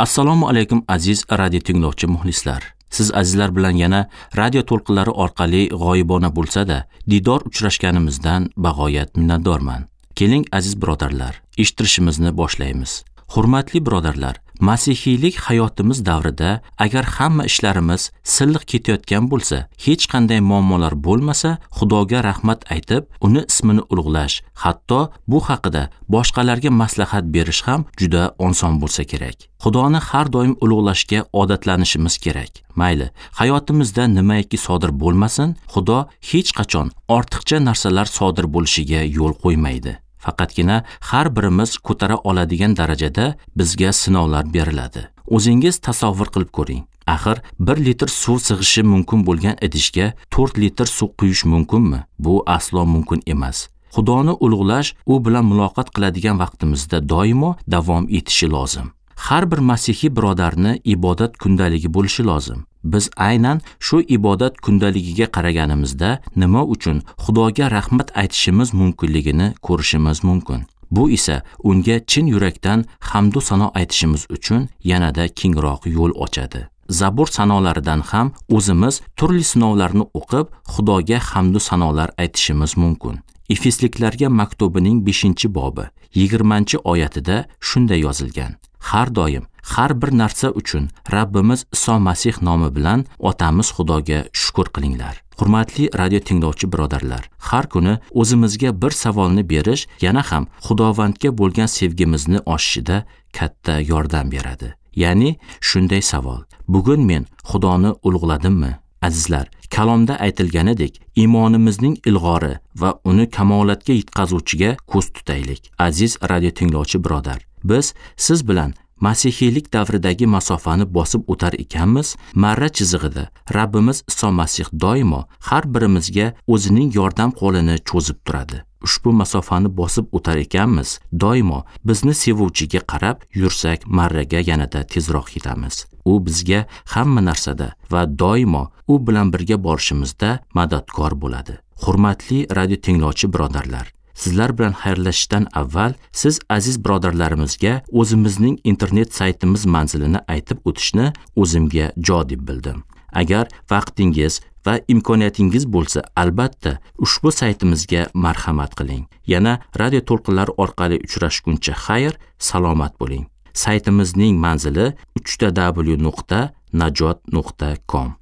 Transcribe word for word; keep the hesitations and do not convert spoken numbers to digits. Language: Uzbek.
Assalomu alaykum aziz radio tinglovchi muxlislar. Siz azizlar bilan yana radio to'lqinlari orqali g'oyibona bo'lsa-da didor uchrashganimizdan bag'oyat minnatdorman. Keling aziz birodarlar, eshittirishimizni boshlaymiz. Hurmatli birodarlar, masihiylik hayotimiz davrida agar hamma ishlarimiz silliq ketayotgan bo'lsa, hech qanday muammolar bo'lmasa, Xudoga rahmat aytib, uni ismini ulug'lash, hatto bu haqida boshqalarga maslahat berish ham juda oson bo'lsa kerak. Xudoni har doim ulug'lashga odatlanishimiz kerak. Mayli, hayotimizda nimaiki sodir bo'lmasin, Xudo hech qachon ortiqcha narsalar sodir bo'lishiga yo'l qo'ymaydi. Faqatgina har birimiz ko'tara oladigan darajada bizga sinovlar beriladi. O'zingiz tasavvur qilib ko'ring. Axir bir litr suv sig'ishi mumkin bo'lgan idishga to'rt litr suv quyish mumkinmi? Bu aslo mumkin emas. Xudoni ulug'lash u bilan muloqot qiladigan vaqtimizda doimo davom etishi lozim. Har bir masihiy birodarni ibodat kundaligi bo'lishi lozim. Biz aynan shu ibodat kundaligiga qaraganimizda nima uchun Xudoga rahmat aytishimiz mumkinligini ko'rishimiz mumkin. Bu esa unga chin yurakdan hamd va sano aytishimiz uchun yanada kengroq yo'l ochadi. Zabur sanolaridan ham o'zimiz turli sinovlarni o'qib, Xudoga hamd va sanolar aytishimiz mumkin. Efesliklarga maktubining beshinchi bobi yigirmanchi oyatida shunday yozilgan: Har doim, har bir narsa uchun Rabbimiz Iso Masih nomi bilan Otamiz Xudoga shukr qilinglar. Hurmatli radio tinglovchi birodarlar, har kuni o'zimizga bir savolni berish yana ham Xudovandga bo'lgan sevgimizni oshishida katta yordam beradi. Ya'ni shunday savol: bugun men Xudoni ulug'ladimmi? Azizlar, kalomda aytilganidek, iymonimizning ilg'ori va uni kamolatga yetkazuvchiga ko'z tutaylik. Aziz radio tinglovchi birodar, biz siz bilan masihiylik davridagi masofani bosib o'tar ekanmiz, marra chizig'ida Rabbimiz Iso Masih doimo har birimizga o'zining yordam qo'lini cho'zib turadi. Ushbu masofani bosib o'tar ekanmiz, doimo bizni sevuvchiga qarab yursak, marraga yanada tezroq yetamiz. U bizga hamma narsada va doimo u bilan birga borishimizda madadkor bo'ladi. Hurmatli radio tinglovchi birodarlar, sizlar bilan xayrlashishdan avval siz aziz birodarlarimizga o'zimizning internet saytimiz manzilini aytib o'tishni o'zimga jo deb bildim. Agar vaqtingiz va imkoniyatingiz bo'lsa, albatta ushbu saytimizga marhamat qiling. Yana radio to'lqinlari orqali uchrashguncha xayr, salomat bo'ling. Saytimizning manzili uch ta w nuqta najot nuqta com.